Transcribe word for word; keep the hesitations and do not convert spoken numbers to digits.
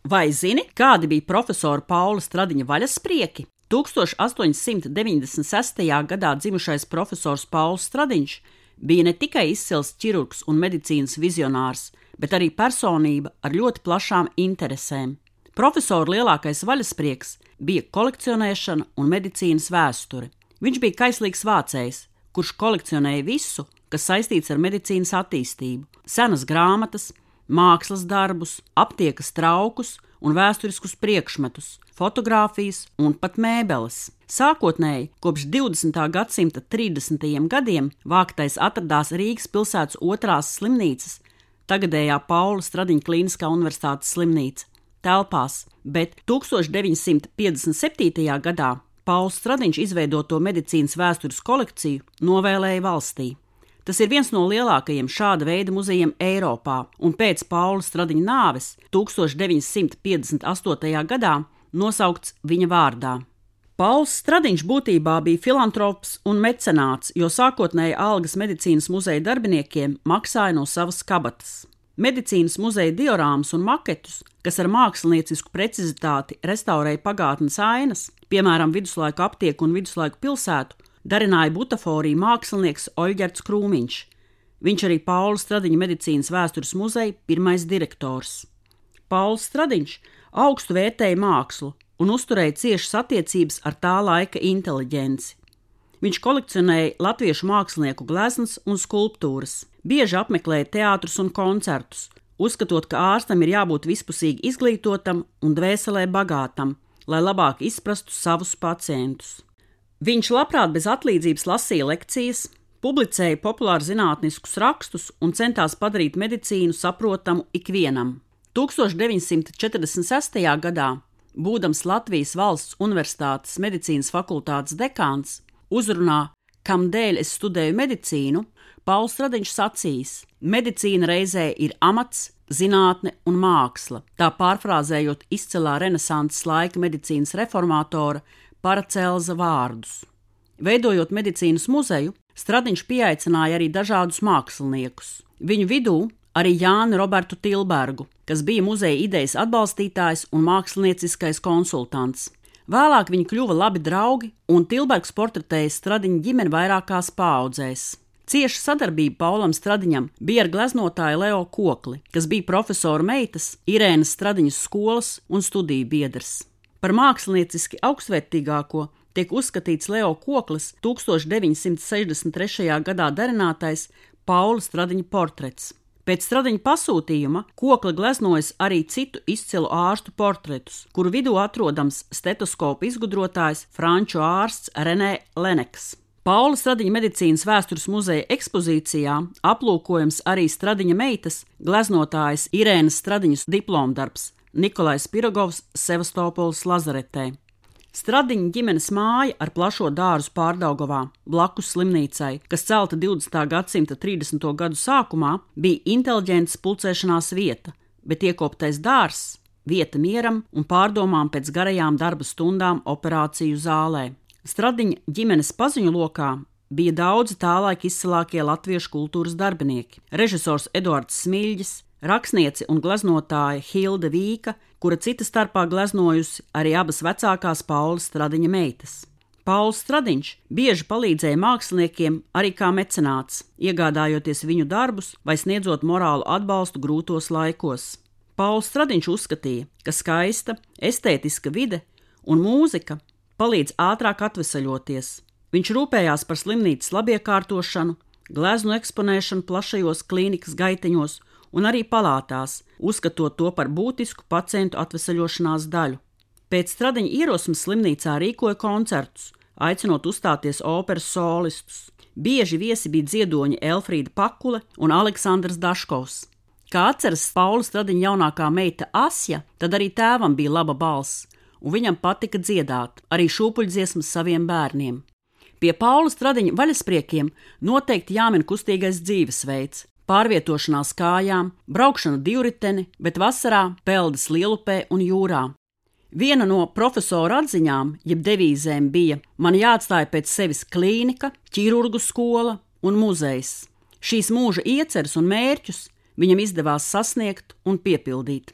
Vai zini, kādi bija profesora Paula Stradiņa vaļasprieki? tūkstoš astoņsimt deviņdesmit sestajā gadā dzimušais profesors Pauls Stradiņš bija ne tikai izcils ķirurgs un medicīnas vizionārs, bet arī personība ar ļoti plašām interesēm. Profesora lielākais vaļasprieks bija kolekcionēšana un medicīnas vēsture. Viņš bija kaislīgs vācējs, kurš kolekcionēja visu, kas saistīts ar medicīnas attīstību – senas grāmatas, mākslas darbus, aptiekas traukus un vēsturiskus priekšmetus, fotogrāfijas un pat mēbeles. Sākotnēji, kopš divdesmitā gadsimta trīsdesmitajiem gadiem vāktais atradās Rīgas pilsētas otrās slimnīcas, tagadējā Paula Stradiņa Klīniskā universitātes slimnīca, telpās, bet tūkstoš deviņsimt piecdesmit septītajā gadā Pauls Stradiņš izveidoto medicīnas vēstures kolekciju novēlēja valstī. Tas ir viens no lielākajiem šāda veida muzejiem Eiropā, un pēc Paula Stradiņa nāves tūkstoš deviņsimt piecdesmit astotajā gadā nosaukts viņa vārdā. Pauls Stradiņš būtībā bija filantrops un mecenāts, jo sākotnēji algas medicīnas muzeja darbiniekiem maksāja no savas kabatas. Medicīnas muzeja diorāmas un maketus, kas ar māksliniecisku precizitāti restaurēja pagātnes ainas, piemēram viduslaiku aptieku un viduslaiku pilsētu, darināja butaforiju mākslinieks Oļģerts Krūmiņš. Viņš arī Paula Stradiņa medicīnas vēstures muzeja pirmais direktors. Pauls Stradiņš augstu vērtēja mākslu un uzturēja ciešas attiecības ar tā laika inteliģenci. Viņš kolekcionēja latviešu mākslinieku gleznas un skulptūras, bieži apmeklēja teātrus un koncertus, uzskatot, ka ārstam ir jābūt vispusīgi izglītotam un dvēselē bagātam, lai labāk izprastu savus pacientus. Viņš labprāt bez atlīdzības lasīja lekcijas, publicēja populāru zinātniskus rakstus un centās padarīt medicīnu saprotamu ikvienam. tūkstoš deviņsimt četrdesmit sestajā gadā, būdams Latvijas Valsts Universitātes medicīnas fakultātes dekāns, uzrunā Kam dēļ es studēju medicīnu, Pauls Stradiņš sacījis: medicīna reizē ir amats, zinātne un māksla, tā pārfrāzējot izcilā renesanses laika medicīnas reformātora Paracelsa vārdus. Veidojot medicīnas muzeju, Stradiņš pieaicināja arī dažādus māksliniekus. Viņu vidū arī Jāni Robertu Tilbergu, kas bija muzeja idejas atbalstītājs un mākslinieciskais konsultants. Vēlāk viņi kļuva labi draugi, un Tilbergs portretēja Stradiņa ģimeni vairākās paaudzēs. Cieša sadarbība Paulam Stradiņam bija ar gleznotāju Leo Kokli, kas bija profesora meitas Irēnas Stradiņas skolas un studiju biedrs. Par mākslinieciski augstvērtīgāko tiek uzskatīts Leo Koklis tūkstoš deviņsimt sešdesmit trešajā gadā darinātais Paula Stradiņa portrets. Pēc Stradiņa pasūtījuma Kokli gleznojas arī citu izcilu ārstu portretus, kuru vidū atrodams stetoskopu izgudrotājs franču ārsts Renē Leneks. Paula Stradiņa medicīnas vēstures muzeja ekspozīcijā aplūkojams arī Stradiņa meitas gleznotājas Irēnas Stradiņas diplomdarbs Nikolais Pirogovs Sevastopoles lazaretē. Stradiņa ģimenes māja ar plašo dārzu Pārdaugavā, blakus slimnīcai, kas celta divdesmitā gadsimta trīsdesmito gadu sākumā, bija inteliģences pulcēšanās vieta, bet iekoptais dārzs – vieta mieram un pārdomām pēc garajām darba stundām operāciju zālē. Stradiņa ģimenes paziņu lokā bija daudzi tālaik izcilākie latviešu kultūras darbinieki – režisors Eduards Smiļģis, rakstniece un gleznotāja Hilde Vīka, kura cita starpā gleznojusi arī abas vecākās Paula Stradiņa meitas. Pauls Stradiņš bieži palīdzēja māksliniekiem arī kā mecenāts, iegādājoties viņu darbus vai sniedzot morālu atbalstu grūtos laikos. Pauls Stradiņš uzskatīja, ka skaista, estētiska vide un mūzika palīdz ātrāk atvesaļoties. Viņš rūpējās par slimnīcas labiekārtošanu, gleznu eksponēšanu plašajos klīnikas gaiteņos un arī palātās, uzskatot to par būtisku pacientu atvesaļošanās daļu. Pēc Stradiņa ierosmes slimnīcā rīkoja koncertus, aicinot uzstāties operas solistus. Bieži viesi bija dziedoņi Elfrīda Pakule un Aleksandrs Daškovs. Kā atceras Paula Stradiņa jaunākā meita Asja, tad arī tēvam bija laba balss, un viņam patika dziedāt, arī šūpuļdziesmas saviem bērniem. Pie Paula Stradiņa vaļaspriekiem noteikti jāmin kustīgais dzīvesveids, pārvietošanās kājām, braukšana divriteni, bet vasarā peldas lielupē un jūrā. Viena no profesora atziņām, jeb devīzēm bija: man jāatstāja pēc sevis klīnika, ķirurgu skola un muzejs. Šīs mūža ieceres un mērķus viņam izdevās sasniegt un piepildīt.